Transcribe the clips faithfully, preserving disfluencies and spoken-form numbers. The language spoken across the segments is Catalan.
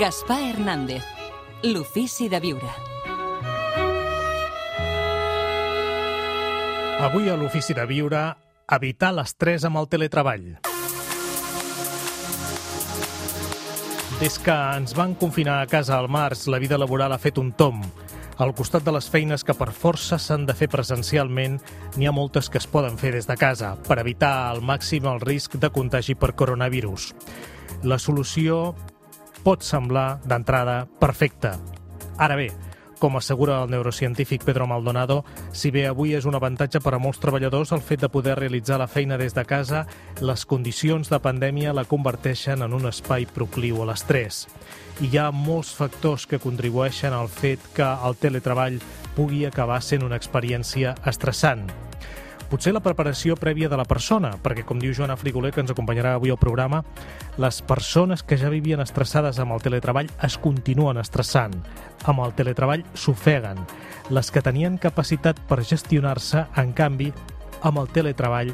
Gaspar Hernández, l'ofici de viure. Avui a l'ofici de viure, evitar l'estrès amb el teletreball. Des que ens van confinar a casa al març, la vida laboral ha fet un tomb. Al costat de les feines que per força s'han de fer presencialment, n'hi ha moltes que es poden fer des de casa per evitar al màxim el risc de contagi per coronavirus. La solució pot semblar, d'entrada, perfecta. Ara bé, com assegura el neurocientífic Pedro Maldonado, si bé avui és un avantatge per a molts treballadors el fet de poder realitzar la feina des de casa, les condicions de pandèmia la converteixen en un espai procliu a l'estrès. I hi ha molts factors que contribueixen al fet que el teletreball pugui acabar sent una experiència estressant. Potser la preparació prèvia de la persona, perquè, com diu Joana Frigoler, que ens acompanyarà avui al programa, les persones que ja vivien estressades amb el teletreball es continuen estressant. Amb el teletreball s'ofeguen. Les que tenien capacitat per gestionar-se, en canvi, amb el teletreball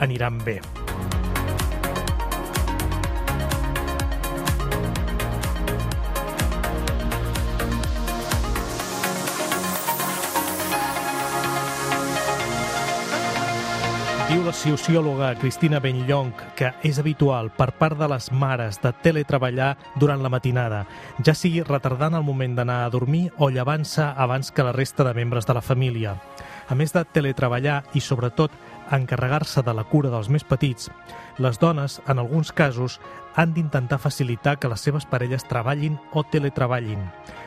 aniran bé. Diu la sociòloga Cristina Benlloch que és habitual per part de les mares de teletreballar durant la matinada, ja sigui retardant el moment d'anar a dormir o llevant-se abans que la resta de membres de la família. A més de teletreballar i, sobretot, encarregar-se de la cura dels més petits, les dones, en alguns casos, han d'intentar facilitar que les seves parelles treballin o teletreballin,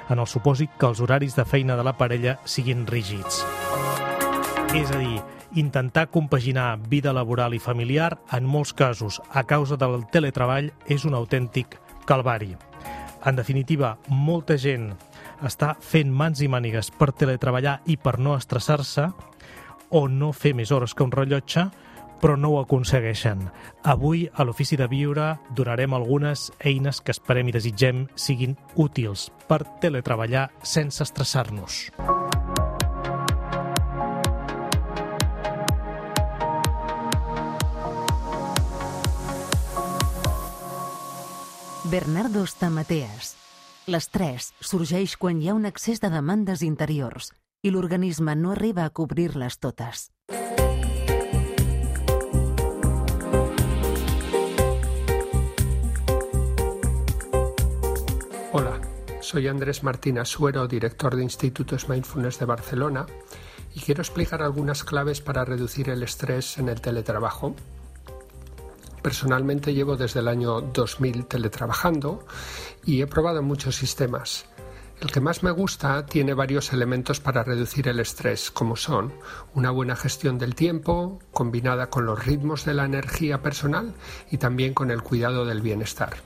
en el supòsit que els horaris de feina de la parella siguin rígids. És a dir, intentar compaginar vida laboral i familiar, en molts casos, a causa del teletreball, és un autèntic calvari. En definitiva, molta gent està fent mans i mànigues per teletreballar i per no estressar-se o no fer més hores que un rellotge, però no ho aconsegueixen. Avui, a l'Ofici de Viure, donarem algunes eines que esperem i desitgem siguin útils per teletreballar sense estressar-nos. Bernardo Stamateas. L'estrès sorgeix quan hi ha un excés de demandes interiors i l'organisme no arriba a cobrir-les totes. Hola, soy Andrés Martín Asuero, director de Institutos Mindfulness de Barcelona, y quiero explicar algunas claves para reducir el estrés en el teletrabajo. Personalmente llevo desde el año dos mil teletrabajando y he probado muchos sistemas. El que más me gusta tiene varios elementos para reducir el estrés, como son una buena gestión del tiempo, combinada con los ritmos de la energía personal y también con el cuidado del bienestar.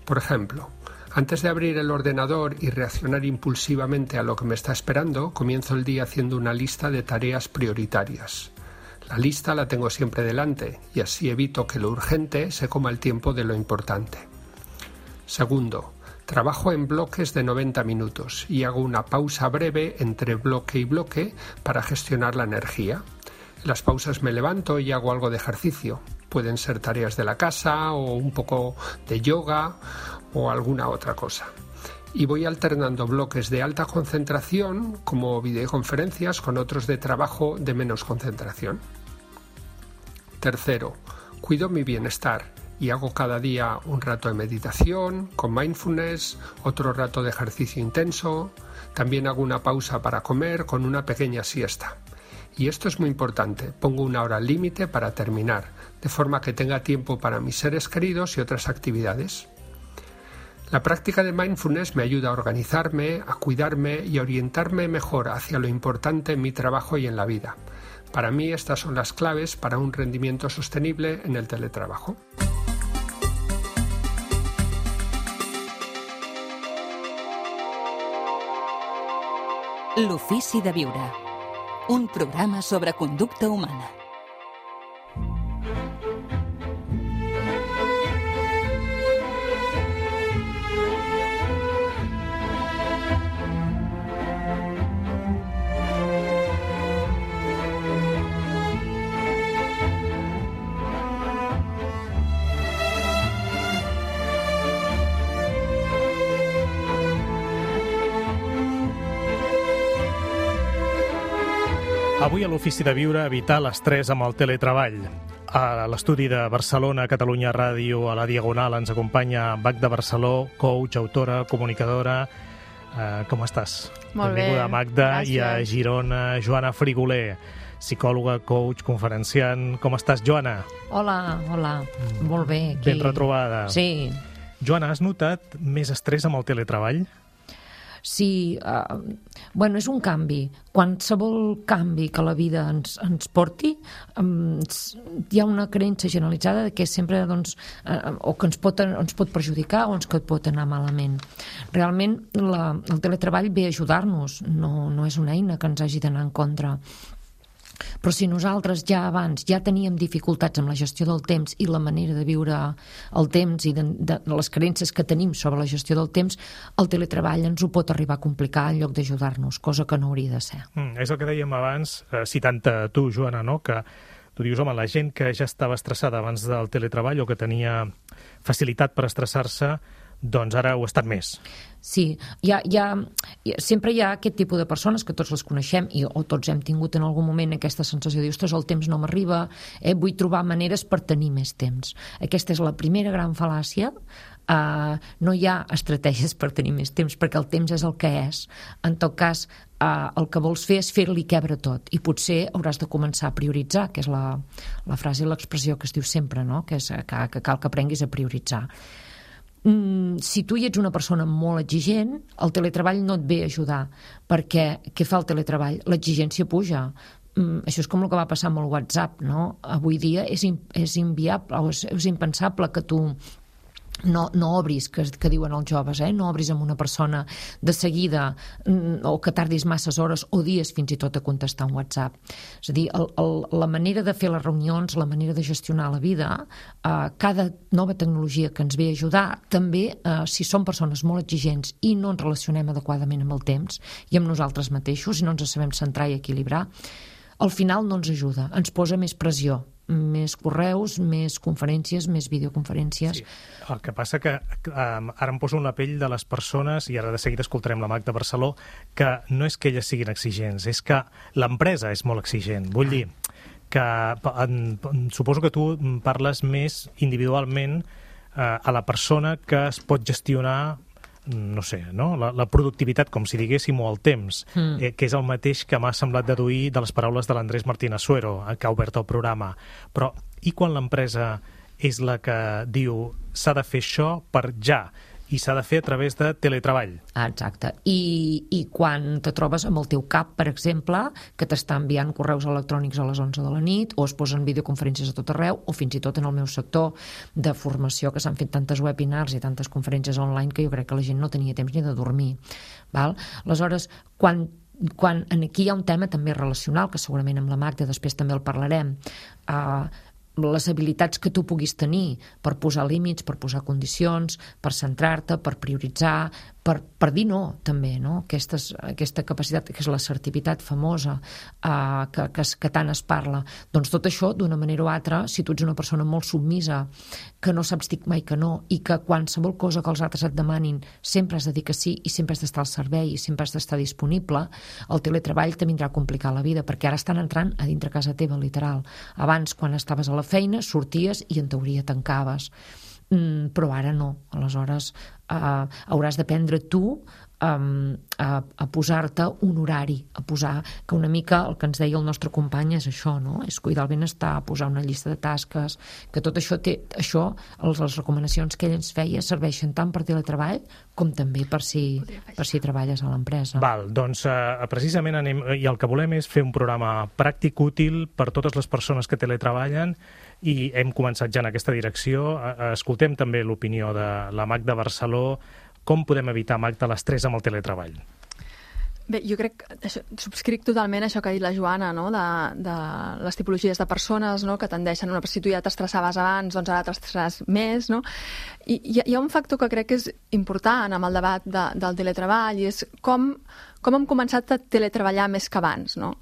Por ejemplo, antes de abrir el ordenador y reaccionar impulsivamente a lo que me está esperando, comienzo el día haciendo una lista de tareas prioritarias. La lista la tengo siempre delante y así evito que lo urgente se coma el tiempo de lo importante. Segundo, trabajo en bloques de noventa minutos y hago una pausa breve entre bloque y bloque para gestionar la energía. En las pausas me levanto y hago algo de ejercicio. Pueden ser tareas de la casa o un poco de yoga o alguna otra cosa. Y voy alternando bloques de alta concentración, como videoconferencias, con otros de trabajo de menos concentración. Tercero, cuido mi bienestar y hago cada día un rato de meditación, con mindfulness, otro rato de ejercicio intenso. También hago una pausa para comer con una pequeña siesta. Y esto es muy importante, pongo una hora límite para terminar, de forma que tenga tiempo para mis seres queridos y otras actividades. La práctica de mindfulness me ayuda a organizarme, a cuidarme y a orientarme mejor hacia lo importante en mi trabajo y en la vida. Para mí estas son las claves para un rendimiento sostenible en el teletrabajo. L'ofici de viure. Un programa sobre conducta humana. Avui a l'Ofici de Viure, evitar l'estrès amb el teletreball. A l'estudi de Barcelona, Catalunya Ràdio, a la Diagonal, ens acompanya Magda Barceló, coach, autora, comunicadora. Uh, com estàs? Molt bé, Benvinguda, Magda. gràcies. I a Girona, Joana Frigoler, psicòloga, coach, conferenciant. Com estàs, Joana? Hola, hola. Molt bé. Aquí. Ben retrobada. Sí. Joana, has notat més estrès amb el teletreball? Sí, uh, bueno, és un canvi. Qualsevol canvi que la vida ens, ens porti, um, hi ha una creença generalitzada de que sempre, doncs, uh, o que ens pot, ens pot perjudicar o ens que pot anar malament. Realment, la, el teletreball ve a ajudar-nos, no, no és una eina que ens hagi d'anar en contra. Però si nosaltres ja abans ja teníem dificultats amb la gestió del temps i la manera de viure el temps i de, de, de les creences que tenim sobre la gestió del temps, el teletreball ens ho pot arribar a complicar en lloc d'ajudar-nos, cosa que no hauria de ser. Mm, és el que dèiem abans, eh, citant-te tu, Joana, no? Que tu dius, home, la gent que ja estava estressada abans del teletreball o que tenia facilitat per estressar-se, doncs ara ho ha estat més. Sí, hi ha, hi ha, sempre hi ha aquest tipus de persones que tots les coneixem i, o tots hem tingut en algun moment aquesta sensació de dir, ostres, el temps no m'arriba, eh, vull trobar maneres per tenir més temps. Aquesta és la primera gran fal·làcia. Uh, no hi ha estratègies per tenir més temps perquè el temps és el que és. En tot cas, uh, el que vols fer és fer-li quebre tot i potser hauràs de començar a prioritzar, que és la, la frase i l'expressió que es diu sempre, no? Que és que, que cal que aprenguis a prioritzar. Mm, si tu hi ets una persona molt exigent, el teletreball no et ve a ajudar, perquè què fa el teletreball? L'exigència puja. Mm, això és com el que va passar amb el WhatsApp, no? Avui dia és, in, és inviable, és, és impensable que tu no, no obris, que, que diuen els joves, eh? No obris amb una persona de seguida mm, o que tardis masses hores o dies fins i tot a contestar un WhatsApp. És a dir, el, el, la manera de fer les reunions, la manera de gestionar la vida, eh, cada nova tecnologia que ens ve a ajudar, també, eh, si som persones molt exigents i no ens relacionem adequadament amb el temps i amb nosaltres mateixos i no ens sabem centrar i equilibrar, al final no ens ajuda, ens posa més pressió, més correus, més conferències, més videoconferències. Sí. El que passa que um, ara em poso en la pell de les persones, i ara de seguida escoltarem la Magda Barceló, que no és que elles siguin exigents, és que l'empresa és molt exigent. Vull dir que en, en, suposo que tu parles més individualment uh, a la persona que es pot gestionar no sé, no? La, la productivitat, com si diguéssim, o el temps, mm. eh, que és el mateix que m'ha semblat deduir de les paraules de l'Andrés Martín Asuero, que ha obert el programa. Però i quan l'empresa és la que diu s'ha de fer això per ja, i s'ha de fer a través de teletreball? Ah, exacte. I, I quan te trobes amb el teu cap, per exemple, que t'està enviant correus electrònics a les onze de la nit, o es posen videoconferències a tot arreu, o fins i tot en el meu sector de formació, que s'han fet tantes webinars i tantes conferències online que jo crec que la gent no tenia temps ni de dormir. Val? Aleshores, quan quan aquí hi ha un tema també relacional, que segurament amb la Magda després també el parlarem, uh, les habilitats que tu puguis tenir per posar límits, per posar condicions, per centrar-te, per prioritzar, per, per dir no, també, no? Aquestes, aquesta capacitat, que és l'assertivitat famosa, eh, que, que, que tant es parla. Doncs tot això, d'una manera o altra, si tu ets una persona molt submisa, que no saps dir mai que no, i que qualsevol cosa que els altres et demanin sempre has de dir que sí, i sempre has d'estar al servei, i sempre has d'estar disponible, el teletreball te vindrà a complicar la vida, perquè ara estan entrant a dintre casa teva, literal. Abans, quan estaves a la feina, sorties i en teoria tancaves. Mm, però ara no. Aleshores, eh, hauràs d'aprendre tu um, a, a posar-te un horari, a posar, que una mica el que ens deia el nostre company és això, no? És cuidar el benestar, posar una llista de tasques, que tot això té, això, les, les recomanacions que ell ens feia serveixen tant per teletreball com també per si, per si treballes a l'empresa. Val, doncs eh, precisament anem, i el que volem és fer un programa pràctic, útil per totes les persones que teletreballen, i hem començat ja en aquesta direcció. Escoltem també l'opinió de la Magda Barceló. Com podem evitar, Magda, l'estrès amb el teletreball? Bé, jo crec que això, subscric totalment això que ha dit la Joana, no? de, de les tipologies de persones, no? Que tendeixen, no? Si tu ja t'estressaves abans, doncs ara t'estressaràs més, no? I hi ha, hi ha un factor que crec que és important amb el debat de, del teletreball, i és com, com hem començat a teletreballar més que abans, no?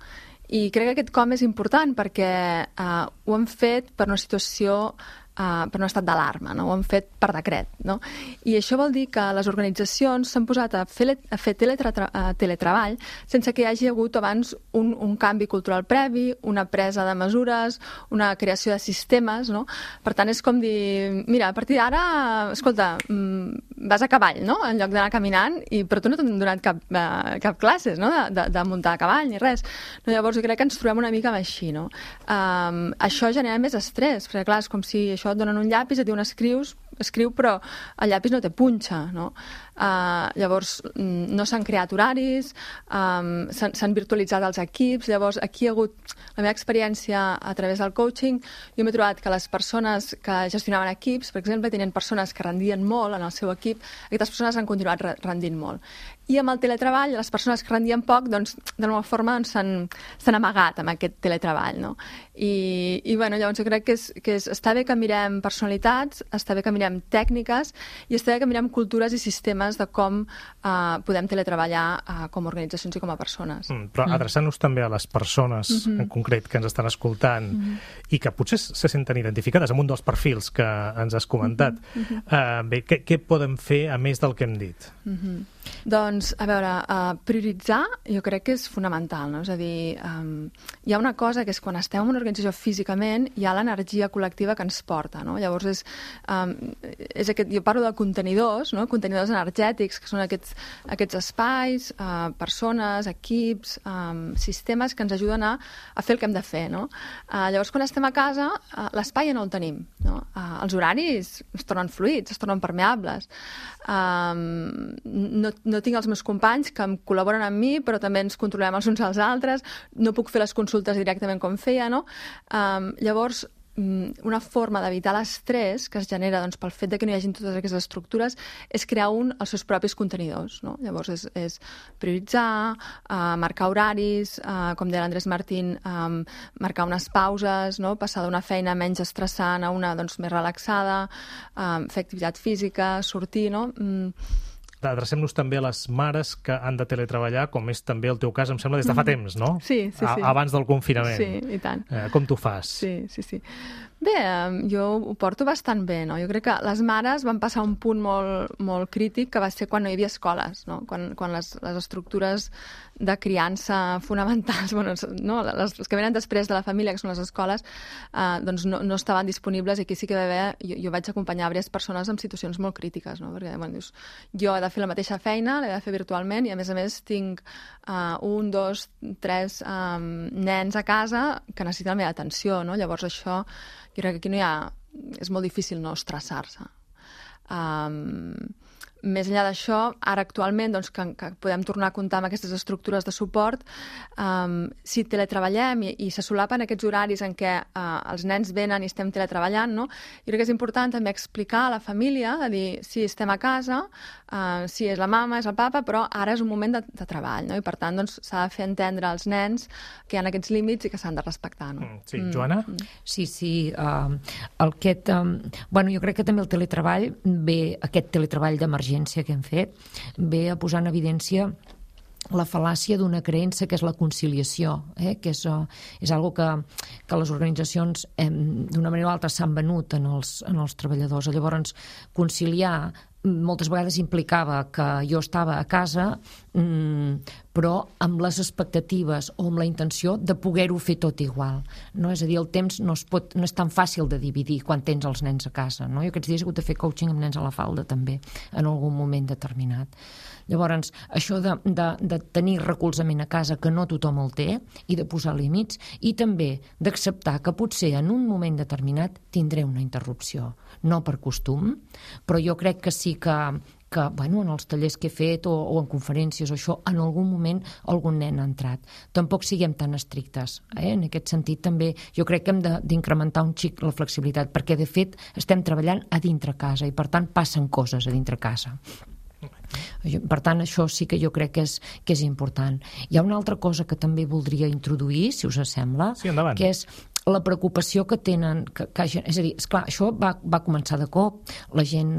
I crec que aquest com és important perquè eh, ho hem fet per una situació uh, per un estat d'alarma, no? Ho han fet per decret, no? I això vol dir que les organitzacions s'han posat a fer, a fer teletra, uh, teletreball sense que hi hagi hagut abans un, un canvi cultural previ, una presa de mesures, una creació de sistemes, no? Per tant, és com dir, mira, a partir d'ara, escolta, vas a cavall, no?, en lloc d'anar caminant, i, però tu no t'han donat cap, uh, cap classes, no?, de, de, de muntar a cavall ni res. No, llavors, jo crec que ens trobem una mica així, no? Um, això genera més estrès, perquè, clar, és com si això et donen un llapis, et diuen escrius, escriu, però el llapis no té punxa, no? Uh, llavors, no s'han creat horaris, um, s'han virtualitzat els equips, llavors aquí hi ha hagut la meva experiència a través del coaching. Jo m'he trobat que les persones que gestionaven equips, per exemple, tenien persones que rendien molt en el seu equip, aquestes persones han continuat rendint molt. I amb el teletreball, les persones que rendien poc, doncs, d'alguna forma s'han s'han amagat amb aquest teletreball, no? I, i bueno, llavors jo crec que, és, que és, està bé que mirem personalitats, està bé que mirem tècniques i està bé que mirem cultures i sistemes de com uh, podem teletreballar uh, com a organitzacions i com a persones. Mm, però mm. adreçant-nos també a les persones mm-hmm. en concret que ens estan escoltant mm-hmm. i que potser se senten identificades amb un dels perfils que ens has comentat, mm-hmm. uh, bé, què, què poden fer a més del que hem dit? Mm-hmm. Doncs, a veure, uh, prioritzar jo crec que és fonamental, no? És a dir, um, hi ha una cosa que és quan estem en una organització físicament hi ha l'energia col·lectiva que ens porta, no? Llavors és, um, és aquest, jo parlo de contenidors, no? Contenidors energètics, que són aquests, aquests espais, uh, persones, equips, um, sistemes que ens ajuden a, a fer el que hem de fer, no? Uh, llavors, quan estem a casa, uh, l'espai ja no el tenim, no? Uh, els horaris es tornen fluids, es tornen permeables. Um, no, no tinc els meus companys que em col·laboren amb mi, però també ens controlem els uns als altres, no puc fer les consultes directament com feia, no? Um, llavors, una forma d'evitar l'estrès que es genera doncs, pel fet de que no hi hagi totes aquestes estructures és crear un els seus propis contenidors, no? Llavors és, és prioritzar, uh, marcar horaris, uh, com deia l'Andrés Martín, um, marcar unes pauses, no? Passar d'una feina menys estressant a una doncs, més relaxada, um, fer activitat física, sortir, no? Mm. Adrecem-nos també a les mares que han de teletreballar, com és també el teu cas, em sembla, des de fa temps, no? Sí, sí, sí. A, abans del confinament. Sí, i tant. Eh, com t'ho fas? Sí, sí, sí. Bé, jo ho porto bastant bé, no? Jo crec que les mares van passar un punt molt, molt crític, que va ser quan no hi havia escoles, no? Quan, quan les, les estructures de criança fonamentals, bueno, no? les, les que venen després de la família, que són les escoles, eh, doncs no, no estaven disponibles, i aquí sí que va haver, jo, jo vaig acompanyar diverses persones en situacions molt crítiques, no? Perquè, bueno, dius, jo he de fer la mateixa feina, l'he de fer virtualment, i a més a més tinc uh, un, dos, tres um, nens a casa que necessiten la meva atenció, no? Llavors això, jo crec que aquí no hi ha... és molt difícil no estressar-se. Um, més enllà d'això, ara actualment doncs, que, que podem tornar a comptar amb aquestes estructures de suport, um, si teletreballem i, i se solapen aquests horaris en què uh, els nens venen i estem teletreballant, no? Jo crec que és important també explicar a la família, de dir, sí, estem a casa, uh, sí, és la mama, és el papa, però ara és un moment de, de treball, no? I per tant doncs, s'ha de fer entendre als nens que hi ha aquests límits i que s'han de respectar, no? Sí, Joana? Mm. Sí, sí. Uh, el aquest, um, bueno, jo crec que també el teletreball ve, aquest teletreball d'emergència que hem fet, ve a posar en evidència la fal·làcia d'una creença que és la conciliació, eh? que és, uh, és algo que, que les organitzacions eh, d'una manera o altra s'han venut en els, en els treballadors. Llavors, conciliar moltes vegades implicava que jo estava a casa, mmm, però amb les expectatives o amb la intenció de poder-ho fer tot igual. No? És a dir, el temps no, es pot, no és tan fàcil de dividir quan tens els nens a casa. No? Jo aquests dies he hagut de fer coaching amb nens a la falda també, en algun moment determinat. Llavors, això de, de, de tenir recolzament a casa, que no tothom el té, i de posar límits, i també d'acceptar que potser en un moment determinat tindré una interrupció. No per costum, però jo crec que sí que, que bueno, en els tallers que he fet o, o en conferències o això, en algun moment algun nen ha entrat. Tampoc siguem tan estrictes. Eh? En aquest sentit també jo crec que hem d'incrementar un xic la flexibilitat, perquè de fet estem treballant a dintre casa i per tant passen coses a dintre casa. Per tant, això sí que jo crec que és, que és important. Hi ha una altra cosa que també voldria introduir, si us sembla, sí, endavant. Que és la preocupació que tenen, que, que, és a dir, esclar, això va, va començar de cop, la gent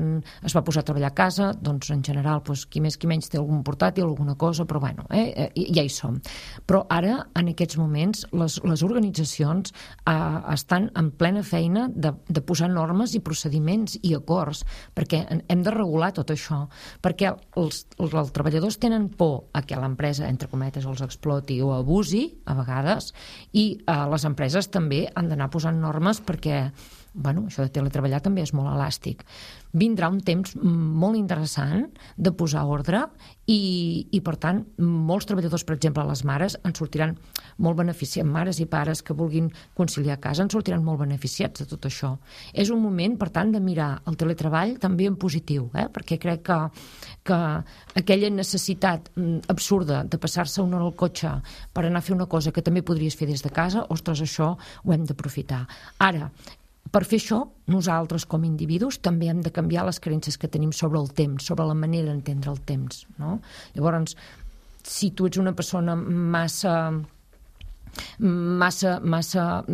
es va posar a treballar a casa, doncs en general doncs, qui més qui menys té algun portàtil, alguna cosa, però bueno, eh, ja hi som. Però ara, en aquests moments, les, les organitzacions eh, estan en plena feina de, de posar normes i procediments i acords, perquè hem de regular tot això, perquè els, els, els treballadors tenen por a que l'empresa, entre cometes, els exploti o abusi, a vegades, i eh, les empreses també han d'anar posant normes perquè, bueno, això de teletreballar també és molt elàstic. Vindrà un temps molt interessant de posar ordre i, i per tant, molts treballadors, per exemple, les mares, en sortiran molt beneficiats, mares i pares que vulguin conciliar a casa, en sortiran molt beneficiats de tot això. És un moment, per tant, de mirar el teletreball també en positiu, eh? Perquè crec que, que aquella necessitat absurda de passar-se una hora al cotxe per anar a fer una cosa que també podries fer des de casa, ostres, això ho hem d'aprofitar. Ara, per fer això, nosaltres com a individus també hem de canviar les creences que tenim sobre el temps, sobre la manera d'entendre el temps, no? Llavors, si tu ets una persona massa massa, massa,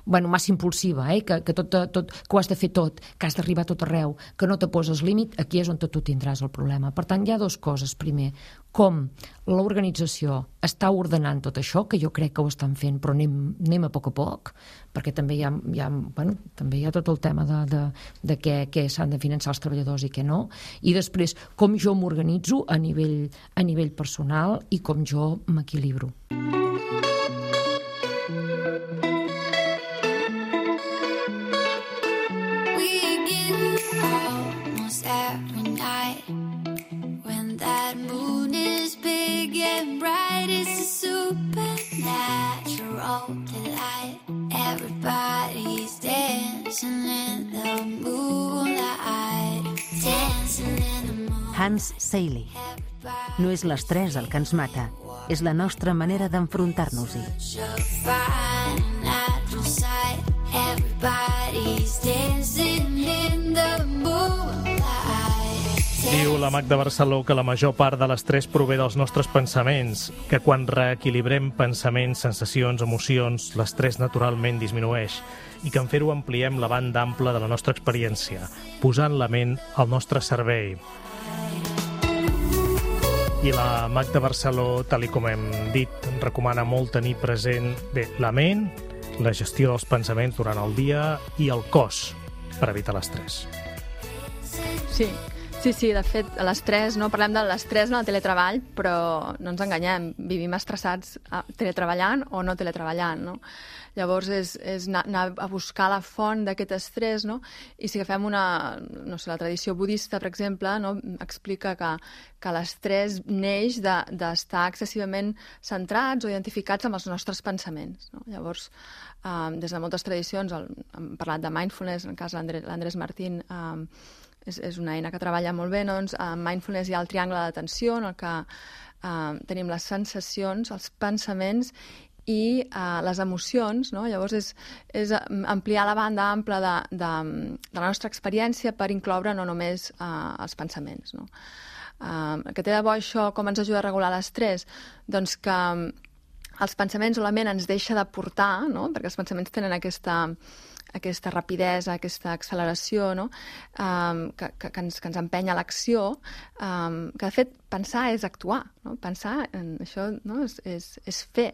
bueno, massa impulsiva, eh? que, que, tot, tot, que ho has de fer tot, que has d'arribar a tot arreu, que no te poses límit, aquí és on tu tindràs el problema. Per tant, hi ha dues coses. Primer, com l'organització està ordenant tot això, que jo crec que ho estan fent, però anem, anem a poc a poc, perquè també hi ha, hi ha, bueno, també hi ha tot el tema de, de, de què, què s'han de finançar els treballadors i què no, i després com jo m'organitzo a nivell, a nivell personal i com jo m'equilibro. Everybody's dancing in the moonlight, dancing in the moonlight. Hans Seiley. No és l'estrès el que ens mata, és la nostra manera d'enfrontar-nos-hi. Everybody's dancing in the moonlight. Diu la Magda Barceló que la major part de l'estrès prové dels nostres pensaments, que quan reequilibrem pensaments, sensacions, emocions, l'estrès naturalment disminueix i que en fer-ho ampliem la banda ampla de la nostra experiència, posant la ment al nostre servei. I la Magda Barceló, tal com hem dit, recomana molt tenir present bé la ment, la gestió dels pensaments durant el dia i el cos per evitar l'estrès. Sí. Sí, sí, de fet, l'estrès, no? Parlem de l'estrès en el teletreball, però no ens enganyem, vivim estressats teletreballant o no teletreballant, no? Llavors és, és anar a buscar la font d'aquest estrès, no? I si agafem una, no sé, la tradició budista, per exemple, no? Explica que, que l'estrès neix d'estar excessivament centrats o identificats amb els nostres pensaments, no? Llavors, eh, des de moltes tradicions, el, hem parlat de mindfulness, en el cas de l'Andrés Martín, eh, És, és una eina que treballa molt bé, doncs en mindfulness hi ha el triangle de l'atenció en el que eh, tenim les sensacions, els pensaments i eh, les emocions, no? Llavors és, és ampliar la banda ampla de, de, de la nostra experiència per incloure no només eh, els pensaments, no? Eh, que té de bo això, com ens ajuda a regular l'estrès? Doncs que els pensaments o la ment ens deixa de portar, no? Perquè els pensaments tenen aquesta... aquesta rapidesa, aquesta acceleració, no? um, que, que, que, ens, que ens empenya a l'acció, um, que de fet pensar és actuar, no? Pensar en això, no? és, és, és fer.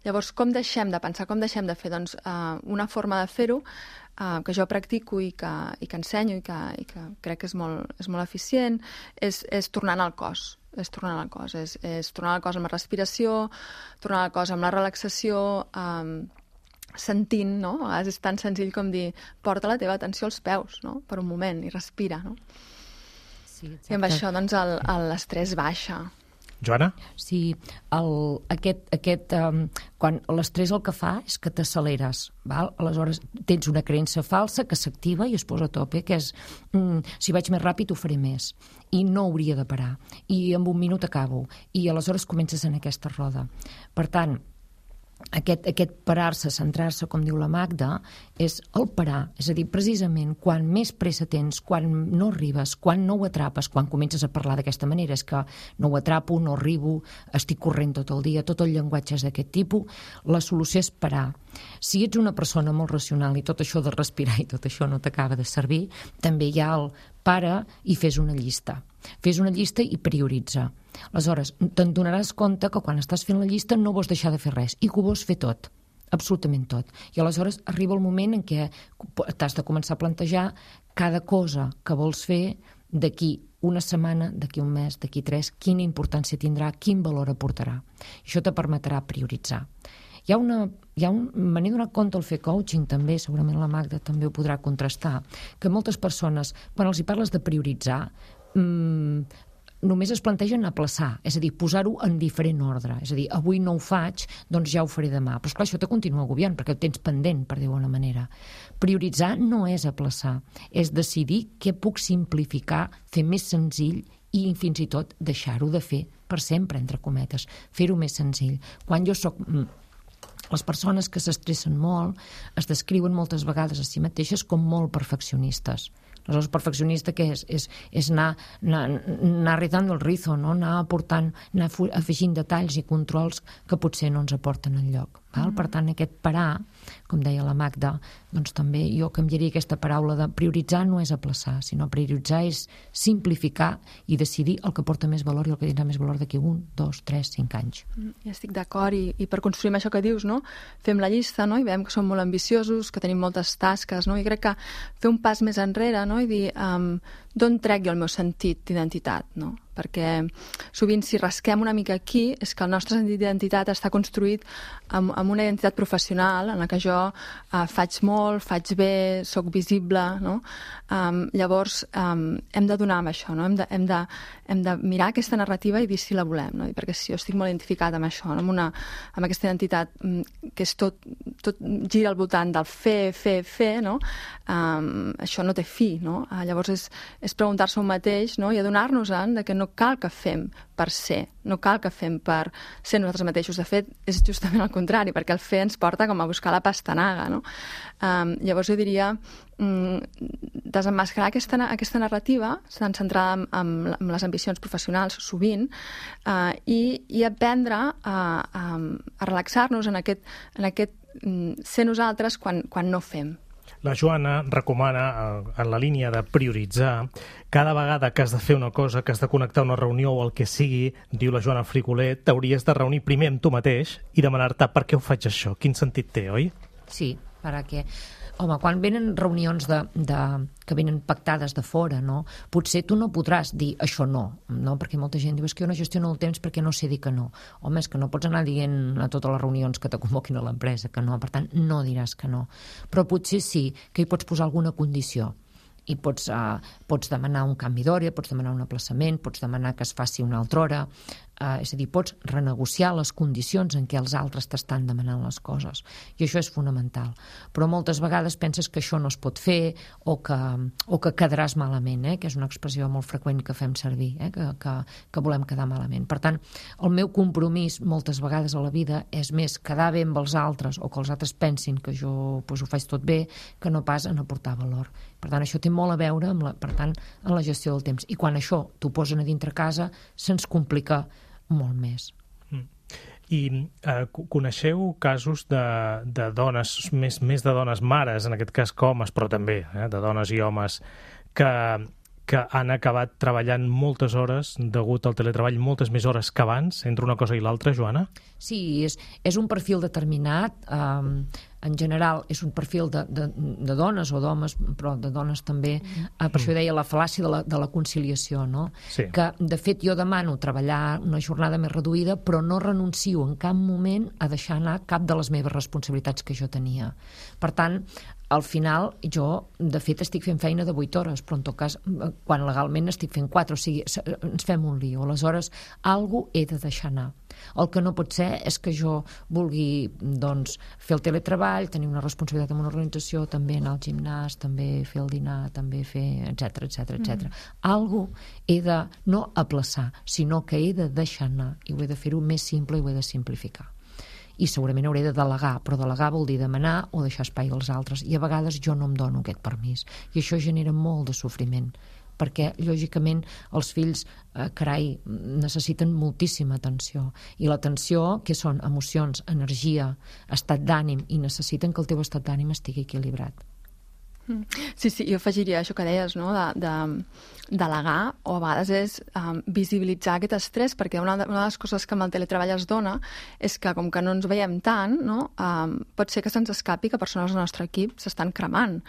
Llavors, com deixem de pensar, com deixem de fer? Doncs uh, una forma de fer-ho uh, que jo practico i que, i que ensenyo i que, i que crec que és molt, és molt eficient és, és tornant al cos. és tornar al cos, és, és tornar al cos amb la respiració, tornar al cos amb la relaxació, um, sentint, no? A vegades és tan senzill com dir porta la teva atenció als peus, no? Per un moment, i respira, no? Sí, exacte. I amb això, doncs, l'estrès baixa. Joana? Sí, el, aquest, aquest, um, quan l'estrès el que fa és que t'acceleres, val? Aleshores tens una creença falsa que s'activa i es posa a tope, que és mm, si vaig més ràpid ho faré més, i no hauria de parar, i en un minut acabo, i aleshores comences en aquesta roda. Per tant, aquest, aquest parar-se, centrar-se, com diu la Magda, és el parar. És a dir, precisament, quan més pressa tens, quan no arribes, quan no ho atrapes, quan comences a parlar d'aquesta manera, és que no ho atrapo, no arribo, estic corrent tot el dia, tot el llenguatge és d'aquest tipus, la solució és parar. Si ets una persona molt racional i tot això de respirar i tot això no t'acaba de servir, també hi ha el para i fes una llista. Fes una llista i prioritza. Aleshores, te'n donaràs compte que quan estàs fent la llista no vols deixar de fer res i que ho vols fer tot, absolutament tot. I aleshores arriba el moment en què t'has de començar a plantejar cada cosa que vols fer d'aquí una setmana, d'aquí un mes, d'aquí tres, quina importància tindrà, quin valor aportarà. Això te permetrà prioritzar. Hi ha una, hi ha un, me n'he donat compte al fer coaching també, segurament la Magda també ho podrà contrastar, que moltes persones, quan els hi parles de prioritzar, mmm, només es plantegen aplaçar, és a dir, posar-ho en diferent ordre. És a dir, avui no ho faig, doncs ja ho faré demà. Però esclar, això te continua agobiant, perquè ho tens pendent, per dir-ho d'alguna manera. Prioritzar no és aplaçar, és decidir què puc simplificar, fer més senzill i fins i tot deixar-ho de fer per sempre, entre cometes, fer-ho més senzill. Quan jo soc... Les persones que s'estressen molt es descriuen moltes vegades a si mateixes com molt perfeccionistes. Aleshores, perfeccionista què és? És, és anar, anar, anar rizando el rizo, no? Anar aportant, anar afegint detalls i controls que potser no ens aporten enlloc. Val? Per tant, aquest parar, com deia la Magda, doncs també jo canviaria aquesta paraula de prioritzar no és aplaçar, sinó prioritzar és simplificar i decidir el que porta més valor i el que tindrà més valor d'aquí un, dos, tres, cinc anys. Ja estic d'acord, i, i per construir això que dius, no? Fem la llista, no? I veiem que som molt ambiciosos, que tenim moltes tasques, no? I crec que fer un pas més enrere, no? I dir um, d'on trec jo el meu sentit d'identitat, no? Perquè sovint si rasquem una mica aquí és que el nostre sentit d'identitat està construït amb, amb una identitat professional en la que jo uh, faig molt, faig bé, sóc visible, no? Um, llavors um, hem de donar amb això, no? Hem de, hem de, hem de mirar aquesta narrativa i dir si la volem, no? I perquè si jo estic molt identificat amb això, no? amb, una, amb aquesta identitat um, que és tot, tot gira al voltant del fer, fer, fer, no? Um, això no té fi, no? Uh, llavors és, és preguntar-se un mateix, no? I adonar-nos-en de que no cal que fem per ser, no cal que fem per ser nosaltres mateixos. De fet, és justament el contrari, perquè el fer ens porta com a buscar la pastanaga, no? Um, llavors jo diria um, desemmascarar aquesta, aquesta narrativa tan centrada en, en, en les ambicions professionals sovint uh, i, i aprendre a, a, a relaxar-nos en aquest, en aquest um, ser nosaltres quan, quan no fem. La Joana recomana, en la línia de prioritzar, cada vegada que has de fer una cosa, que has de connectar una reunió o el que sigui, diu la Joana Frigolet, t'hauries de reunir primer amb tu mateix i demanar-te per què ho faig això, quin sentit té, oi? Sí, perquè, home, quan venen reunions de, de, que venen pactades de fora, no? Potser tu no podràs dir això no, no? Perquè molta gent diu és que jo no gestiono el temps perquè no sé dir que no. Home, és que no pots anar dient a totes les reunions que te convoquin a l'empresa que no, per tant, no diràs que no. Però potser sí que hi pots posar alguna condició i pots, uh, pots demanar un canvi d'hora, pots demanar un aplaçament, pots demanar que es faci una altra hora, uh, és a dir, pots renegociar les condicions en què els altres t'estan demanant les coses, i això és fonamental. Però moltes vegades penses que això no es pot fer o que, o que quedaràs malament, eh? Que és una expressió molt freqüent que fem servir, eh? que, que, que volem quedar malament. Per tant, el meu compromís moltes vegades a la vida és més quedar bé amb els altres o que els altres pensin que jo pues, ho faig tot bé, que no pas en aportar valor. Per tant, això té molt a veure amb la, per tant, en la gestió del temps. I quan això t'ho posen a dintre casa, se'ns complica molt més. Mm. I eh, coneixeu casos de, de dones, més, més de dones mares, en aquest cas que homes, però també eh, de dones i homes, que, que han acabat treballant moltes hores degut al teletreball, moltes més hores que abans, entre una cosa i l'altra, Joana? Sí, és, és un perfil determinat. Eh, en general és un perfil de, de, de dones o d'homes, però de dones també, eh, per això deia la fal·làcia de la, de la conciliació, no? Sí. Que de fet jo demano treballar una jornada més reduïda, però no renuncio en cap moment a deixar anar cap de les meves responsabilitats que jo tenia. Per tant, al final jo de fet estic fent feina de vuit hores, però en tot cas quan legalment estic fent quatre, o sigui, ens fem un lío. Aleshores, alguna cosa he de deixar anar. El que no pot ser és que jo vulgui doncs, fer el teletreball, tenir una responsabilitat en una organització, també anar al gimnàs, també fer el dinar, també fer, etcètera, etcètera, etcètera. Mm. Algo he de no aplaçar, sinó que he de deixar anar i ho he de fer-ho més simple i ho he de simplificar. i segurament hauré de delegar, però delegar vol dir demanar o deixar espai als altres, i a vegades jo no em dono aquest permís, i això genera molt de sofriment, perquè lògicament els fills, eh, carai, necessiten moltíssima atenció, i l'atenció, que són emocions, energia, estat d'ànim, i necessiten que el teu estat d'ànim estigui equilibrat. Sí, sí, jo afegiria això que deies, no? de, de delegar, o a vegades és um, visibilitzar aquest estrès, perquè una de, una de les coses que amb el teletreball es dona és que com que no ens veiem tant, no? um, pot ser que se'ns escapi que persones del nostre equip s'estan cremant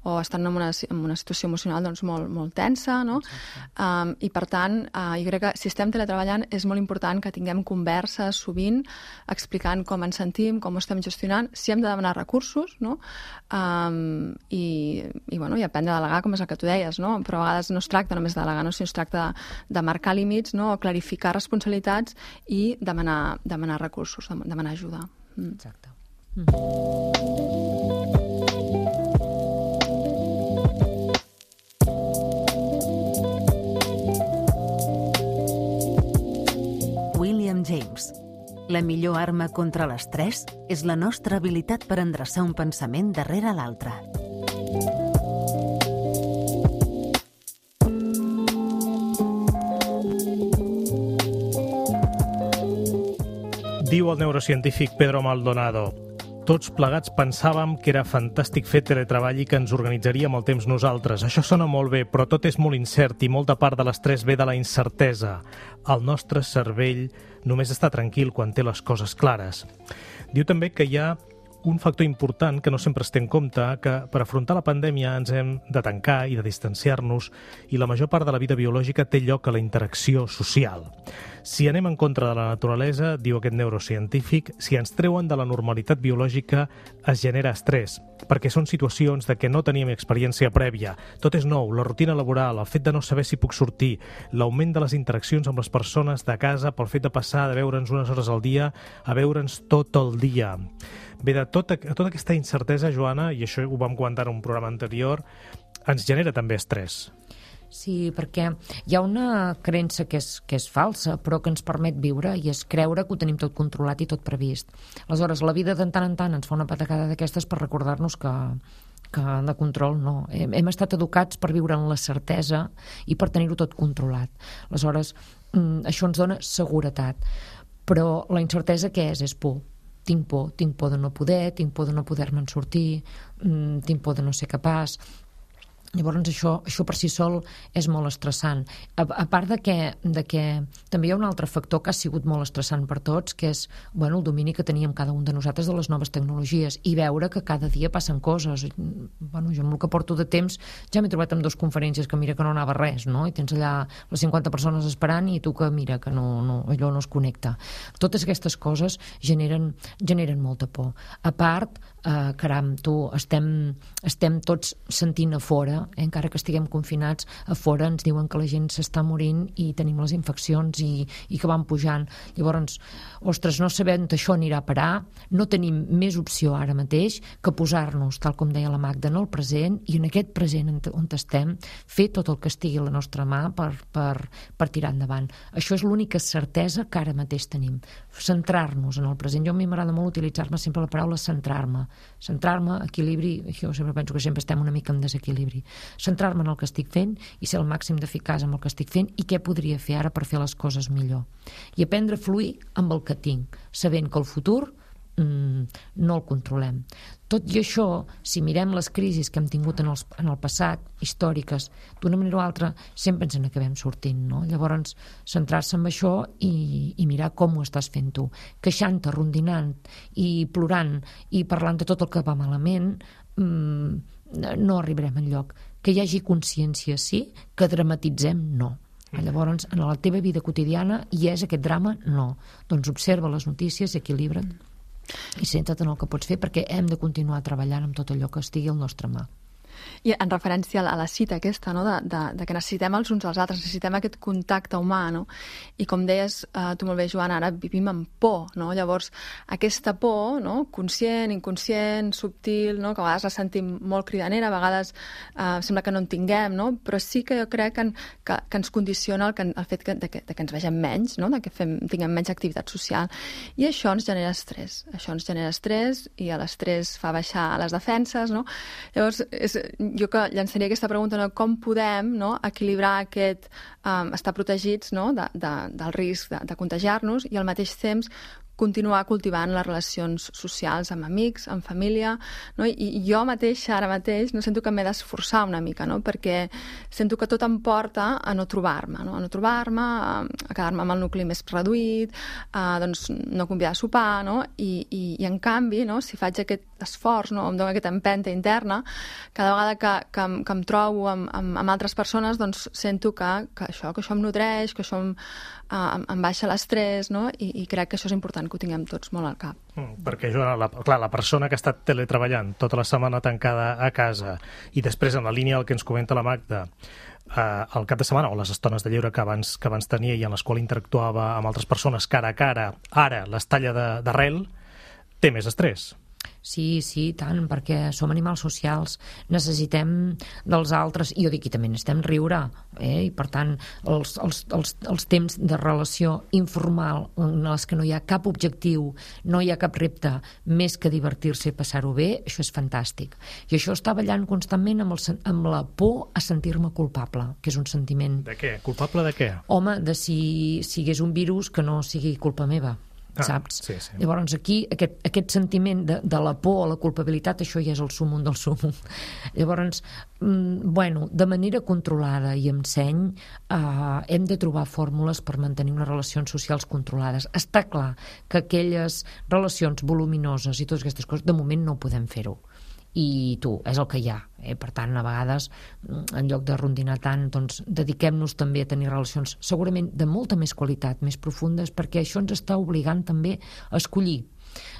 o estan en una, en una situació emocional doncs, molt, molt tensa, no? Um, i per tant, uh, jo crec que si estem teletreballant és molt important que tinguem converses sovint explicant com ens sentim, com ho estem gestionant, si hem de demanar recursos, no? um, i i, bueno, i aprendre a delegar, com és el que tu deies, no? Però a vegades no es tracta només de delegar, no? Sinó es tracta de, de marcar límits, no? O clarificar responsabilitats i demanar, demanar recursos, demanar ajuda. Mm. Exacte. Mm. William James. La millor arma contra l'estrès és la nostra habilitat per endreçar un pensament darrere l'altre. Diu el neurocientífic Pedro Maldonado: tots plegats pensàvem que era fantàstic fer teletreball i que ens organitzaríem el temps nosaltres. Això sona molt bé, però tot és molt incert i molta part de l'estrès ve de la incertesa. El nostre cervell només està tranquil quan té les coses clares. Diu també que hi ha un factor important que no sempre es té en compte, que per afrontar la pandèmia ens hem de tancar i de distanciar-nos, i la major part de la vida biològica té lloc a la interacció social. Si anem en contra de la naturalesa, diu aquest neurocientífic, si ens treuen de la normalitat biològica, es genera estrès, perquè són situacions de què no teníem experiència prèvia. Tot és nou, la rutina laboral, el fet de no saber si puc sortir, l'augment de les interaccions amb les persones de casa pel fet de passar de veure'ns unes hores al dia a veure'ns tot el dia. Bé, de tota, tota aquesta incertesa, Joana, i això ho vam comentar en un programa anterior, ens genera també estrès. Sí, perquè hi ha una creença que és, que és falsa, però que ens permet viure, i és creure que ho tenim tot controlat i tot previst. Aleshores, la vida de tant en tant ens fa una patacada d'aquestes per recordar-nos que, que de control no. Hem, hem estat educats per viure en la certesa i per tenir-ho tot controlat. Aleshores, això ens dona seguretat. Però la incertesa què és? És por. Tinc por, tinc por de no poder, tinc por de no poder-me'n sortir, tinc por de no ser capaç. Llavors això, això per si sol és molt estressant. A, a part de que, de que també hi ha un altre factor que ha sigut molt estressant per tots, que és bueno, el domini que teníem cada un de nosaltres de les noves tecnologies i veure que cada dia passen coses. Bueno, jo amb el que porto de temps ja m'he trobat amb dues conferències que mira que no anava res, no? I tens allà les cinquanta persones esperant i tu que mira que no, no, allò no es connecta. Totes aquestes coses generen, generen molta por. A part, eh, caram, tu, estem, estem tots sentint a fora, Eh, encara que estiguem confinats, a fora ens diuen que la gent s'està morint i tenim les infeccions i, i que van pujant. Llavors, ostres, no sabem que això anirà a parar, no tenim més opció ara mateix que posar-nos, tal com deia la Magda, en el present, i en aquest present on estem, fer tot el que estigui a la nostra mà per, per, per tirar endavant. Això és l'única certesa que ara mateix tenim. Centrar-nos en el present. Jo a mi m'agrada molt utilitzar-me sempre la paraula centrar-me. Centrar-me, equilibri, jo sempre penso que sempre estem una mica en desequilibri. Centrar-me en el que estic fent i ser el màxim d'eficaç amb el que estic fent i què podria fer ara per fer les coses millor. I aprendre a fluir amb el que tinc, sabent que el futur mmm, no el controlem. Tot i això, si mirem les crisis que hem tingut en, els, en el passat, històriques, d'una manera o altra, sempre ens n'acabem sortint, no? Llavors, centrar-se en això i, i mirar com ho estàs fent tu. Queixant-te, rondinant i plorant i parlant de tot el que va malament, mmm, no arribarem enlloc. Que hi hagi consciència, sí, que dramatitzem, no. Llavors, en la teva vida quotidiana hi és aquest drama? No. Doncs observa les notícies, equilibra't i centra't en el que pots fer, perquè hem de continuar treballant amb tot allò que estigui al nostre mà. I en referència a la cita aquesta, no? de, de, de que necessitem els uns als altres, necessitem aquest contacte humà, no? I com deies eh, tu molt bé, Joana, ara vivim amb por, no? Llavors, aquesta por, no? Conscient, inconscient, subtil, no? Que a vegades la sentim molt cridanera, a vegades eh, sembla que no en tinguem, no? Però sí que jo crec que, que, que ens condiciona el, que, el fet que, de, que, de que ens vegem menys, no? De que fem, tinguem menys activitat social. I això ens genera estrès. Això ens genera estrès i l'estrès fa baixar les defenses, no? Llavors, és, jo que llançaria aquesta pregunta, no? Com podem, no? Equilibrar aquest um, estar protegits, no? de, de, del risc de, de contagiar-nos i al mateix temps continuar cultivant les relacions socials amb amics, amb família, no? I jo mateixa, ara mateix, no sento que m'he d'esforçar una mica, no? Perquè sento que tot em porta a no trobar-me, no? A no trobar-me, a, a quedar-me amb el nucli més reduït, a doncs, no convidar a sopar, no? I, i, i en canvi, no? Si faig aquest esforç, no? Em dono aquesta empenta interna, cada vegada que, que, em, que em trobo amb, amb, amb altres persones, doncs sento que, que, això, que això em nodreix, que això em, em, em baixa l'estrès, no? I, i crec que això és important que ho tinguem tots molt al cap. Mm, perquè, Joana, la, clar, la persona que ha estat teletreballant tota la setmana tancada a casa i després en la línia del que ens comenta la Magda, eh, el cap de setmana o les estones de lleure que abans, que abans tenia i en les quals interactuava amb altres persones cara a cara, ara les talla d'arrel, té més estrès. Sí, sí, tant, perquè som animals socials, necessitem dels altres, i jo dic que també necessitem riure, eh? I per tant, els, els, els, els temps de relació informal en els que no hi ha cap objectiu, no hi ha cap repte, més que divertir-se i passar-ho bé, això és fantàstic. I això està ballant constantment amb, el, amb la por a sentir-me culpable, que és un sentiment... De què? Culpable de què? Home, de si, si hi hagués un virus que no sigui culpa meva. Ah, saps? Sí, sí. Llavors aquí aquest, aquest sentiment de, de la por o la culpabilitat, això ja és el súmum del súmum. Llavors, mm, bueno, de manera controlada i amb seny eh, hem de trobar fórmules per mantenir unes relacions socials controlades. Està clar que aquelles relacions voluminoses i totes aquestes coses, de moment no podem fer-ho. I tu, és el que hi ha, eh? Per tant, a vegades en lloc de rondinar tant, doncs dediquem-nos també a tenir relacions segurament de molta més qualitat, més profundes, perquè això ens està obligant també a escollir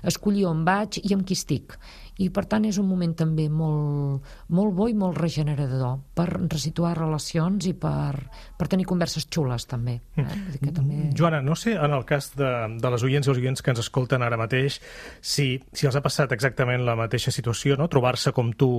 escollir on vaig i amb qui estic, i per tant és un moment també molt, molt bo i molt regenerador per resituar relacions i per, per tenir converses xules també, eh? Que també... Joana, no sé en el cas de, de les oients i els oients que ens escolten ara mateix si, si els ha passat exactament la mateixa situació, no? Trobar-se com tu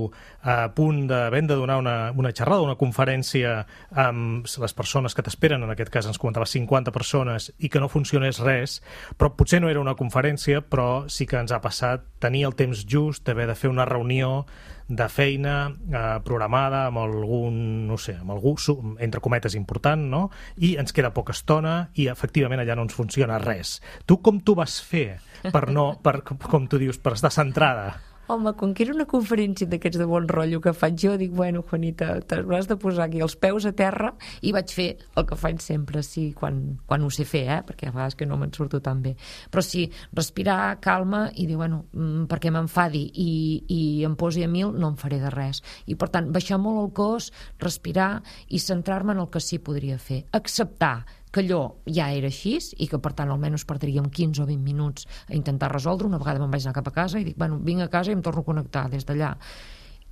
a punt de ben de donar una, una xerrada, una conferència amb les persones que t'esperen, en aquest cas ens comentava cinquanta persones, i que no funcionés res, però potser no era una conferència, però sí que ens ha passat tenir el temps just d'haver de fer una reunió de feina eh, programada amb algun, no sé, amb algú, entre cometes, important, no? I ens queda poca estona i efectivament allà no ens funciona res. Tu com t'ho vas fer per no, per, com tu dius, per estar centrada? Home, com que era una conferència d'aquests de bon rotllo que faig jo, dic, bueno, Juanita, t'hauràs de posar aquí els peus a terra, i vaig fer el que faig sempre, sí, quan, quan ho sé fer, eh? Perquè a vegades que no me'n surto tan bé. Però sí, respirar, calma, i dir, bueno, perquè m'enfadi i, i em posi a mil, no em faré de res. I, per tant, baixar molt el cos, respirar i centrar-me en el que sí podria fer. Acceptar que allò ja era així i que, per tant, almenys perdríem quinze o vint minuts a intentar resoldre. Una vegada me'n vaig anar cap a casa i dic, bueno, vinc a casa i em torno a connectar des d'allà.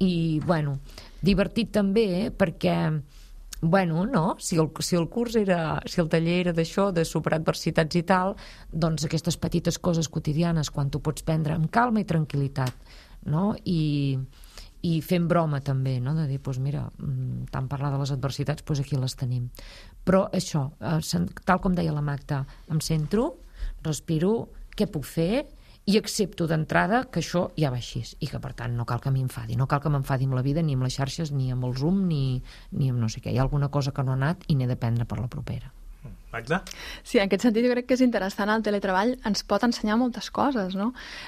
I, bueno, divertit també, eh? Perquè, bueno, no, si el, si el curs era, si el taller era d'això, de superar adversitats i tal, doncs aquestes petites coses quotidianes, quan tu pots prendre amb calma i tranquil·litat, no? I... i fent broma també, no? De dir, doncs mira, tant parlar de les adversitats, doncs aquí les tenim. Però això, tal com deia la Magda, em centro, respiro, què puc fer, i accepto d'entrada que això ja va així, i que per tant no cal que m'enfadi, no cal que m'enfadi amb la vida, ni amb les xarxes, ni amb el Zoom, ni, ni amb no sé què. Hi ha alguna cosa que no ha anat i n'he d'aprendre per la propera. Magda? Sí, en aquest sentit jo crec que és interessant. El teletreball ens pot ensenyar moltes coses, no?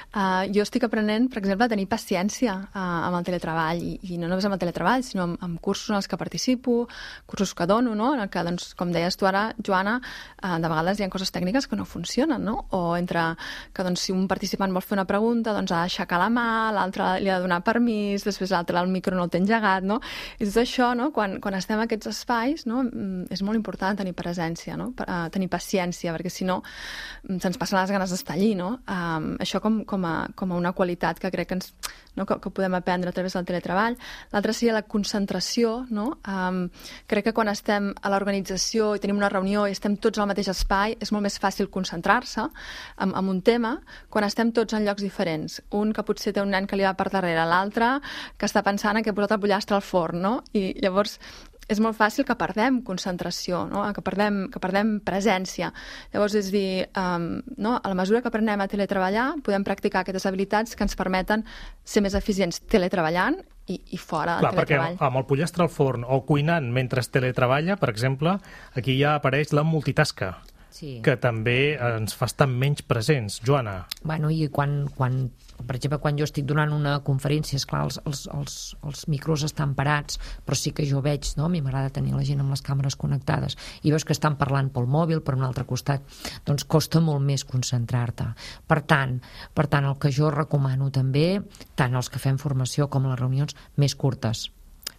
Uh, jo estic aprenent, per exemple, a tenir paciència uh, amb el teletreball, i, i no només amb el teletreball, sinó amb, amb cursos en els que participo, cursos que dono, no? En el que, doncs, com deies tu ara, Joana, uh, de vegades hi ha coses tècniques que no funcionen, no? O entre que, doncs, si un participant vol fer una pregunta, doncs ha d'aixecar la mà, l'altre li ha de donar permís, després l'altre el micro no el té engegat, no? I tot això, no? Quan, quan estem en aquests espais, no? És molt important tenir presència, no? Uh, tenir paciència, perquè si no se'ns passen les ganes d'estar allí, no? Um, això com, com, a, com a una qualitat que crec que, ens, no? que, que podem aprendre a través del teletreball. L'altra seria la concentració, no? Um, crec que quan estem a l'organització i tenim una reunió i estem tots al mateix espai, és molt més fàcil concentrar-se en, en un tema quan estem tots en llocs diferents. Un que potser té un nen que li va per darrere, l'altre que està pensant que ha posat el pollastre al forn, no? I llavors és molt fàcil que perdem concentració, no? que, perdem, que perdem presència. Llavors, és dir, um, no? a la mesura que aprenem a teletreballar, podem practicar aquestes habilitats que ens permeten ser més eficients teletreballant i, i fora del Clar, teletreball. Perquè amb el pollastre al forn o cuinant mentre es teletreballa, per exemple, aquí ja apareix la multitasca. Sí. Que també ens fa estar menys presents. Joana. Bueno, i quan, quan, per exemple, quan jo estic donant una conferència, esclar, els, els, els, els micros estan parats, però sí que jo veig, no? A mi m'agrada tenir la gent amb les càmeres connectades, i veus que estan parlant pel mòbil, per un altre costat, doncs costa molt més concentrar-te. Per tant, per tant, el que jo recomano també, tant els que fem formació com les reunions, més curtes.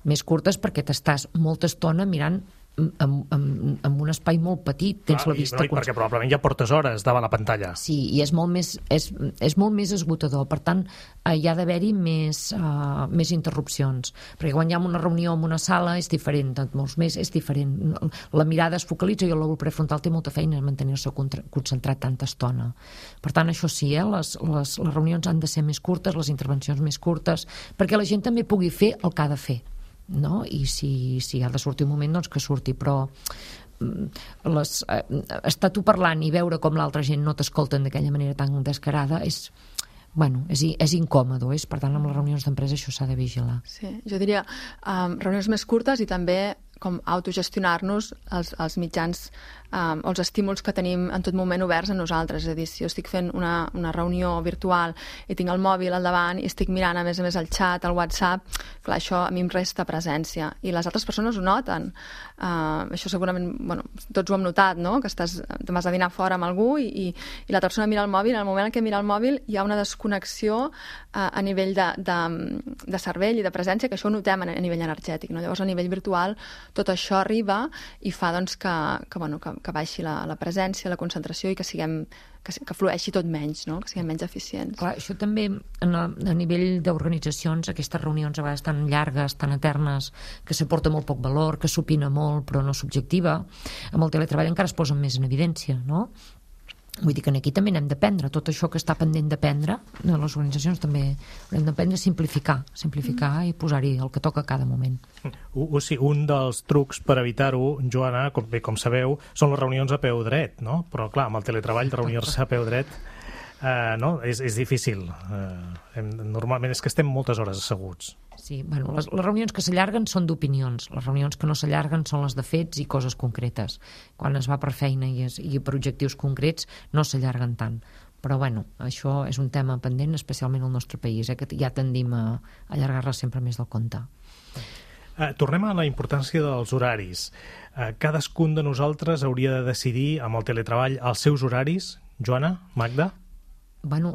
Més curtes perquè t'estàs molta estona mirant en, en, en un espai molt petit, tens ah, la vista... I, no, perquè probablement ja portes hores davant la pantalla. Sí, i és molt més, és, és molt més esgotador. Per tant, hi ha d'haver-hi més, uh, més interrupcions. Perquè quan hi ha una reunió en una sala és diferent, molts més és diferent. La mirada es focalitza i el lòbul prefrontal té molta feina en mantenir-se concentrat tanta estona. Per tant, això sí, eh? les, les, les reunions han de ser més curtes, les intervencions més curtes, perquè la gent també pugui fer el que ha de fer. No? I si, si ha de sortir un moment, doncs que surti, però les, eh, estar tu parlant i veure com l'altra gent no t'escolten d'aquella manera tan descarada és, bueno, és, és incòmodo, és, per tant amb les reunions d'empresa això s'ha de vigilar. Sí, jo diria um, reunions més curtes i també com autogestionar-nos els, els mitjans um, o els estímuls que tenim en tot moment oberts a nosaltres. És a dir, si jo estic fent una, una reunió virtual i tinc el mòbil al davant i estic mirant a més a més el xat, el WhatsApp, clar, això a mi em resta presència. I les altres persones ho noten. Uh, això segurament, bueno, tots ho hem notat, no? Que estàs, te vas a dinar fora amb algú i, i, i l'altra persona mira el mòbil, en el moment en què mira el mòbil hi ha una desconnexió uh, a nivell de, de, de cervell i de presència, que això ho notem a, a nivell energètic, no? Llavors a nivell virtual tot això arriba i fa doncs, que, que, bueno, que, que baixi la, la presència, la concentració i que siguem que, que flueixi tot menys, no? Que siguem menys eficients. Clar, això també en a, a nivell d'organitzacions, aquestes reunions a vegades tan llargues, tan eternes, que s'aporta molt poc valor, que s'opina molt però no s'objectiva, amb el teletreball encara es posen més en evidència, no? Vull dir que aquí també n'hem d'aprendre, tot això que està pendent d'aprendre, les organitzacions també hem d'aprendre a simplificar, simplificar mm. i posar-hi el que toca a cada moment. U, u, sí, un dels trucs per evitar-ho, Joana, com, bé, com sabeu, són les reunions a peu dret, no? Però clar, amb el teletreball, reunir-se a peu dret eh, no? és, és difícil. Eh, hem, normalment és que estem moltes hores asseguts. Sí, bueno, les, les reunions que s'allarguen són d'opinions, les reunions que no s'allarguen són les de fets i coses concretes. Quan es va per feina i, es, i per objectius concrets no s'allarguen tant. Però bueno, això és un tema pendent, especialment al nostre país, eh, que ja tendim a allargar-la sempre més del compte. Uh, tornem a la importància dels horaris. Uh, cadascun de nosaltres hauria de decidir amb el teletreball els seus horaris. Joana, Magda? Bueno,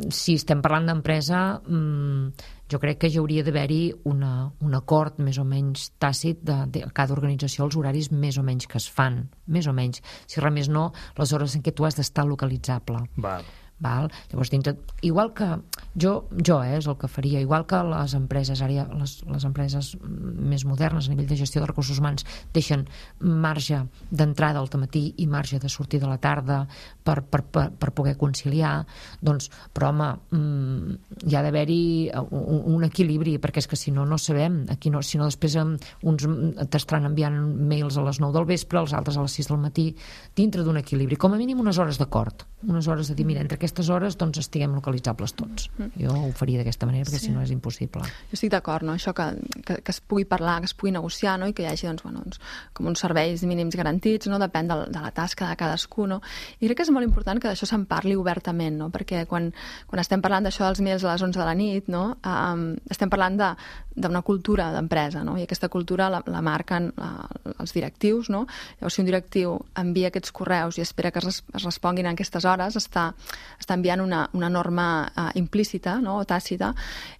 si estem parlant d'empresa, mmm, jo crec que hi hauria d'haver-hi una, un acord més o menys tàcit de, de cada organització, els horaris més o menys que es fan, més o menys. Si res més no, les hores en què tu has d'estar localitzable. Val. Val? Llavors, dintre, igual que jo, jo eh, és el que faria, igual que les empreses, ara les, les empreses més modernes a nivell de gestió de recursos humans deixen marge d'entrada al matí i marge de sortir de la tarda per, per, per, per poder conciliar, doncs, però home, mmm, hi ha d'haver-hi un, un equilibri, perquè és que si no, no sabem, aquí no, si no després uns t'estaran enviant mails a les nou del vespre, els altres a les sis del matí, dintre d'un equilibri, com a mínim unes hores d'acord, unes hores de dir, mira, entre aquestes hores doncs estiguem localitzables tots. Jo ho faria d'aquesta manera perquè sí. Si no és impossible. Jo estic d'acord, no? Això que, que, que es pugui parlar, que es pugui negociar, no? I que hi hagi doncs, bueno, doncs, com uns serveis mínims garantits, no? Depèn de, de la tasca de cadascú, no? I crec que és molt important que d'això se'n parli obertament, no? Perquè quan, quan estem parlant d'això dels mails a les onze de la nit, no? Um, estem parlant de, d'una cultura d'empresa, no? I aquesta cultura la, la marquen uh, els directius, no? Llavors, si un directiu envia aquests correus i espera que es, es responguin en aquestes hores hores està, està enviant una, una norma uh, implícita, no? O tàcita,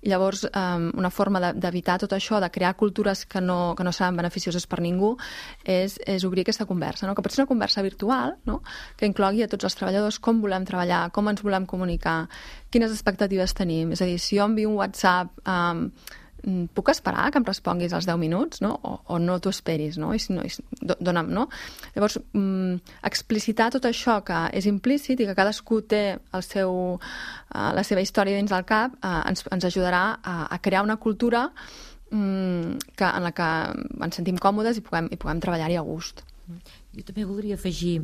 i llavors um, una forma de, d'evitar tot això, de crear cultures que no, que no seran beneficioses per ningú, és, és obrir aquesta conversa, no? Que pot ser una conversa virtual, no? Que inclogui a tots els treballadors com volem treballar, com ens volem comunicar, quines expectatives tenim. És a dir, si jo envio un WhatsApp... Um, puc esperar que em responguis als deu minuts, no? O, o no t'ho esperis, no? I si no, i, dona'm, no? Llavors, mm, explicitar tot això que és implícit i que cadascú té el seu, uh, la seva història dins del cap, uh, ens, ens ajudarà a, a crear una cultura mm, que, en la que ens sentim còmodes i puguem, i puguem treballar-hi a gust. Jo també voldria afegir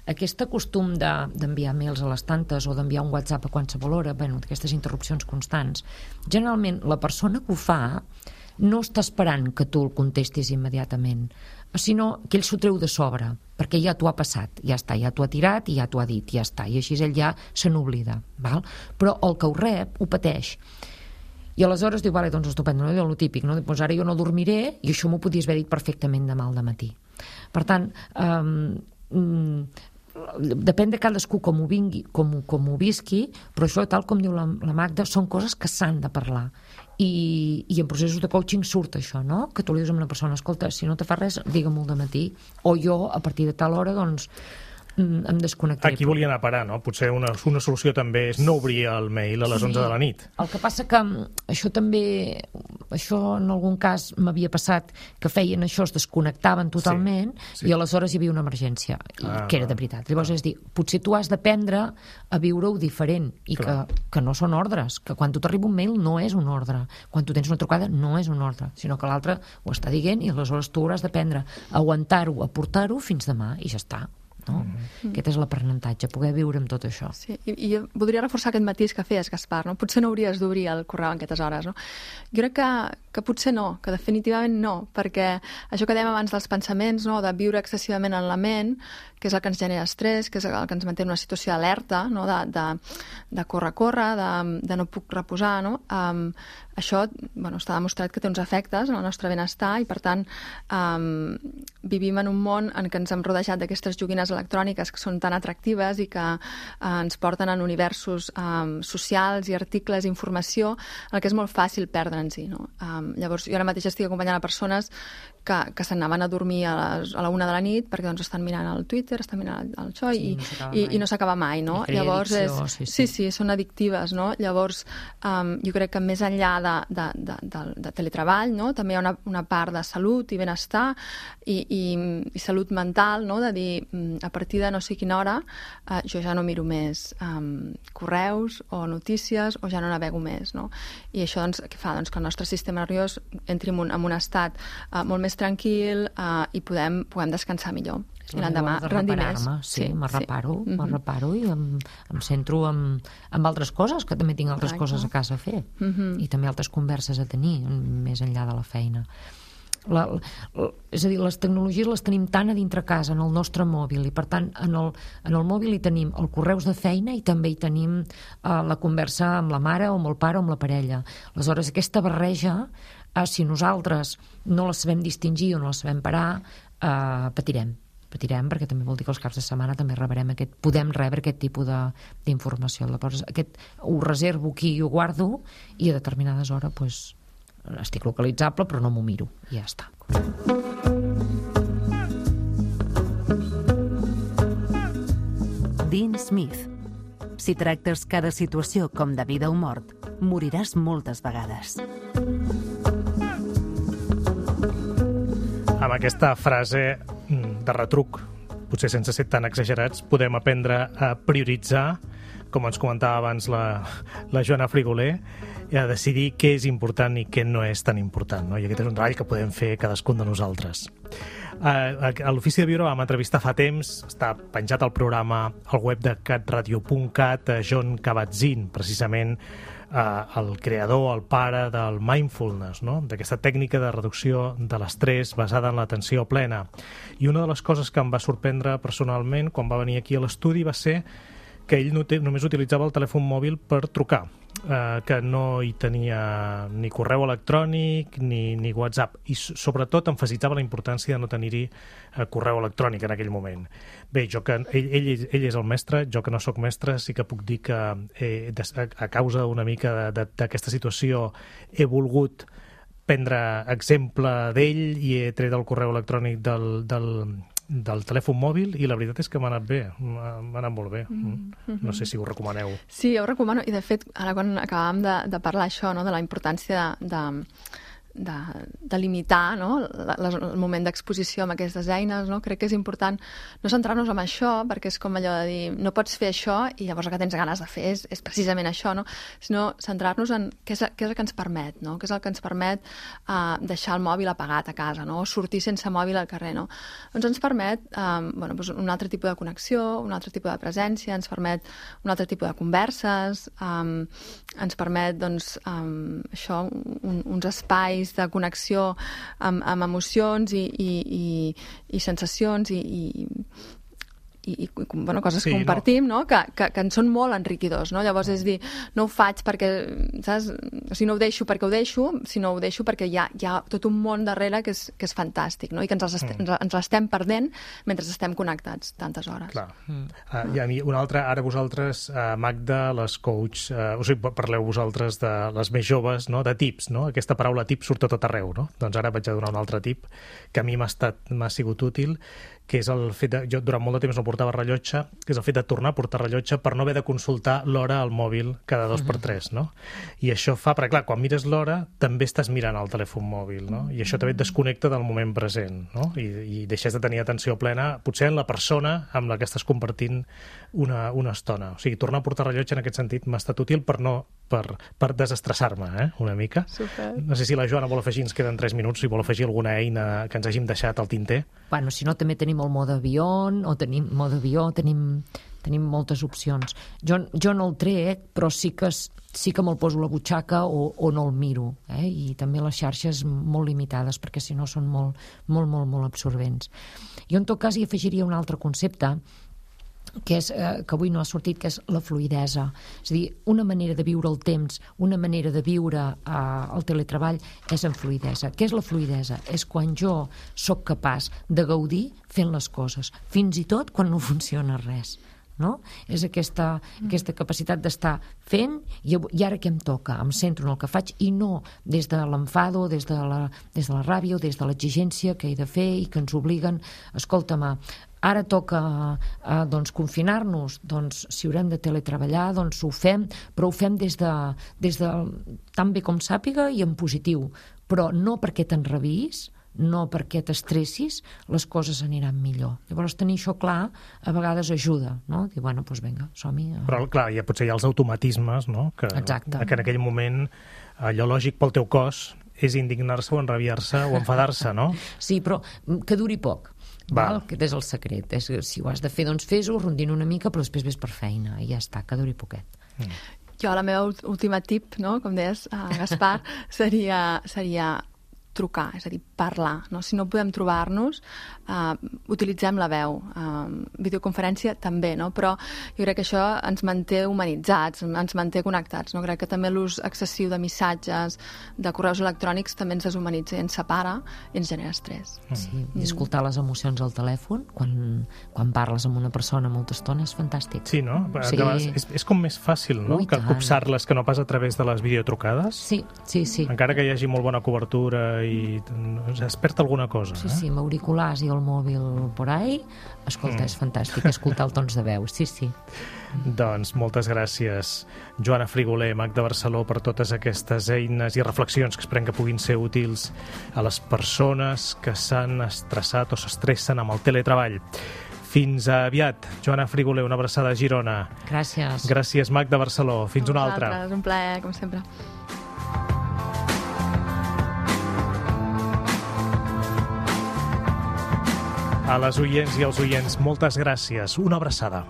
aquest costum de, d'enviar mails a les tantes o d'enviar un WhatsApp a qualsevol hora, bueno, aquestes interrupcions constants. Generalment, la persona que ho fa no està esperant que tu el contestis immediatament, sinó que ell s'ho treu de sobre, perquè ja t'ho ha passat, ja està, ja t'ho ha tirat i ja t'ho ha dit, ja està, i així ell ja se n'oblida, val? Però el que ho rep ho pateix. I aleshores diu, vale, doncs estupendo, no? El típic, no? Doncs ara jo no dormiré i això m'ho podies haver dit perfectament demà al dematí. Per tant, um, depèn de cadascú com ho vingui, com, com ho visqui, però això, tal com diu la, la Magda, són coses que s'han de parlar. I, i en processos de coaching surt això, no? Que tu li dius a una persona, escolta, si no te fa res, digue-m'ho al dematí, o jo, a partir de tal hora, doncs, em desconnectaré. Aquí volia anar a parar, no? Potser una, una solució també és no obrir el mail a les onze de la nit. El que passa que això també, això en algun cas m'havia passat, que feien això, es desconnectaven totalment, sí, sí. I aleshores hi havia una emergència, ah, que era de veritat. Llavors, ah. és dir, potser tu has d'aprendre a viure-ho diferent i que, que no són ordres, que quan tu t'arriba un mail no és un ordre, quan tu tens una trucada no és un ordre, sinó que l'altre ho està dient i aleshores tu hauràs d'aprendre a aguantar-ho, a portar-ho fins demà i ja està. No? Mm. Aquest és l'aprenentatge, poder viure amb tot això. Sí, i, i jo voldria reforçar aquest matís que feies, Gaspar, no? Potser no hauries d'obrir el correu en aquestes hores, no? Jo crec que, que potser no, que definitivament no, perquè això que dèiem abans dels pensaments, no? De viure excessivament en la ment, que és el que ens genera estrès, que és el que ens manté en una situació d'alerta, no? de, de, de córrer, córrer, de, de no puc reposar, no? Um, això, bueno, està demostrat que té uns efectes en el nostre benestar i, per tant, um, vivim en un món en què ens hem rodejat d'aquestes joguines electròniques que són tan atractives i que uh, ens porten en universos um, socials i articles i informació en el que és molt fàcil perdre'ns-hi, no? Um, llavors, jo ara mateix estic acompanyant a persones que, que s'anaven a dormir a, les, a la una de la nit perquè doncs, estan mirant el Twitter, estan mirant el, el xoi sí, i, no i, i no s'acaba mai, no? Llavors, és, sí, sí. sí, sí, són addictives, no? Llavors, um, jo crec que més enllà de, de, de, de, de teletreball, no? També hi ha una, una part de salut i benestar i, i, i salut mental, no? De dir, a partir de no sé quina hora, uh, jo ja no miro més um, correus o notícies o ja no navego més, no? I això, doncs, què fa? Doncs que el nostre sistema nerviós entri en un, en un estat uh, molt més tranquil uh, i podem, podem descansar millor. I l'endemà rendir més. Sí, sí, me reparo, sí. me reparo i em, em centro en, en altres coses, que també tinc altres Correcte. Coses a casa a fer. Uh-huh. I també altres converses a tenir, més enllà de la feina. La, la, és a dir, les tecnologies les tenim tan a dintre casa, en el nostre mòbil, i per tant en el, en el mòbil hi tenim el correus de feina i també hi tenim uh, la conversa amb la mare o amb el pare o amb la parella. Aleshores, aquesta barreja, uh, si nosaltres no la sabem distingir o no la sabem parar, uh, patirem. patirem, perquè també vol dir que els caps de setmana també rebrem aquest, podem rebre aquest tipus de, d'informació. Llavors, aquest ho reservo aquí i ho guardo, i a determinades hores pues, estic localitzable, però no m'ho miro, i ja està. Dean Smith. Si tractes cada situació com de vida o mort, moriràs moltes vegades. Amb aquesta frase de retruc, potser sense ser tan exagerats, podem aprendre a prioritzar, com ens comentava abans la, la Joana Frigoler, i a decidir què és important i què no és tan important, no? I aquest és un treball que podem fer cadascun de nosaltres. A, a l'Ofici de Viure vam entrevistar fa temps, està penjat al programa al web de catradio punt cat, a John Kabat-Zinn, precisament eh, el creador, el pare del mindfulness, no? D'aquesta tècnica de reducció de l'estrès basada en l'atenció plena. I una de les coses que em va sorprendre personalment quan va venir aquí a l'estudi va ser que ell no té, només utilitzava el telèfon mòbil per trucar, eh, que no hi tenia ni correu electrònic ni, ni WhatsApp, i sobretot emfasitzava la importància de no tenir-hi eh, correu electrònic en aquell moment. Bé, jo que, ell, ell, ell és el mestre, jo que no sóc mestre sí que puc dir que eh, des, a, a causa una mica d'aquesta situació he volgut prendre exemple d'ell i he tret el correu electrònic del, del, del telèfon mòbil i la veritat és que m'ha anat bé, m'ha anat molt bé. Mm-hmm. No sé si ho recomaneu. Sí, jo ho recomano, i de fet, ara quan acabàvem de, de parlar això, no, de la importància de, de de, de limitar, no, la, la, el moment d'exposició amb aquestes eines, no? Crec que és important no centrar-nos en això, perquè és com allò de dir, no pots fer això i llavors el que tens ganes de fer és, és precisament això, no? Sinó centrar-nos en què és, què és el que ens permet, no? Què és el que ens permet uh, deixar el mòbil apagat a casa, no? O sortir sense mòbil al carrer, no? Doncs ens permet um, bueno, doncs un altre tipus de connexió, un altre tipus de presència, ens permet un altre tipus de converses, um, ens permet, doncs, um, això, un, uns espais de connexió amb, amb emocions i, i, i, i sensacions i, i, i, i bueno, coses sí, que compartim, no? No? Que, que, que en són molt enriquidors, no? Llavors és dir, no ho faig perquè, saps? O sigui, no ho deixo perquè ho deixo, sinó ho deixo perquè hi ha, hi ha tot un món darrere que és, que és fantàstic, no? I que ens, estem, mm. ens l'estem perdent mentre estem connectats tantes hores. Clar. Mm. Uh, I a mi, una altra, ara vosaltres, uh, Magda, les coach, uh, o sigui, parleu vosaltres de les més joves, no? De tips, no? Aquesta paraula tip surt a tot arreu, no? Doncs ara vaig a donar un altre tip que a mi m'ha estat, m'ha sigut útil, que és el fet de... Jo durant molt de temps no portava rellotge, que és el fet de tornar a portar rellotge per no haver de consultar l'hora al mòbil cada dos per tres, no? I això fa... Perquè, clar, quan mires l'hora, també estàs mirant el telèfon mòbil, no? I això també et desconnecta del moment present, no? I, i deixes de tenir atenció plena, potser en la persona amb la que estàs compartint una, una estona. O sigui, tornar a portar rellotge en aquest sentit m'ha estat útil per no... per, per desestressar-me, eh? Una mica. Super. No sé si la Joana vol afegir, ens queden tres minuts, si vol afegir alguna eina que ens hàgim deixat al tinter. Bueno, si no, també tenim el mode avió, o tenim mode avió, tenim, tenim moltes opcions. Jo, jo no el trec, però sí que, sí que me'l poso a la butxaca o, o no el miro, eh? I també les xarxes molt limitades, perquè si no són molt, molt, molt, molt absorbents. Jo, en tot cas, hi afegiria un altre concepte, que, és, eh, que avui no ha sortit, que és la fluïdesa. És a dir, una manera de viure el temps, una manera de viure eh, el teletreball és en fluïdesa. Què és la fluïdesa? És quan jo sóc capaç de gaudir fent les coses, fins i tot quan no funciona res. No? És aquesta, aquesta capacitat d'estar fent i, i ara què em toca? Em centro en el que faig i no des de l'enfado, des de la, des de la ràbia o des de l'exigència que he de fer i que ens obliguen. Escolta'm, ara toca eh, doncs, confinar-nos, doncs si haurem de teletreballar doncs ho fem, però ho fem des de, des de tan bé com sàpiga i en positiu, però no perquè t'enrabiïs, no perquè t'estressis, les coses aniran millor. Llavors, tenir això clar a vegades ajuda, no? Dir, bueno, doncs vinga, som-hi. Però, clar, ja potser hi ha els automatismes, no? Que, Exacte. Que en aquell moment allò lògic pel teu cos és indignar-se o enrabiar-se o enfadar-se, no? Sí, però que duri poc. Val? Aquest és el secret. És, si ho has de fer, doncs fes-ho, rondina una mica, però després ves per feina i ja està, que duri poquet. Mm. Jo, la meva última tip, no? Com deies, uh, Gaspar, seria, seria trucar, és a dir, parlar, no? Si no podem trobar-nos, uh, utilitzem la veu. Uh, videoconferència també, no? Però jo crec que això ens manté humanitzats, ens manté connectats, no? Crec que també l'ús excessiu de missatges, de correus electrònics, també ens deshumanitza i ens separa i ens genera estrès. Sí, i escoltar les emocions al telèfon, quan, quan parles amb una persona molta estona, és fantàstic. Sí, no? Sí. És, és com més fàcil, no? Ui, que copsar-les que no pas a través de les videotrucades. Sí, sí, sí. Encara que hi hagi molt bona cobertura i es perd alguna cosa. Sí, eh? sí, amb auriculars i el mòbil por ahí, escolta, mm. és fantàstic escoltar el tons de veu, sí, sí. Doncs moltes gràcies, Joana Frigoler, Magda Barceló, per totes aquestes eines i reflexions que esperem que puguin ser útils a les persones que s'han estressat o s'estressen amb el teletreball. Fins aviat. Joana Frigoler, una abraçada a Girona. Gràcies. Gràcies, Magda Barceló. Fins una altra. Un plaer, com sempre. A les oients i als oients, moltes gràcies. Una abraçada.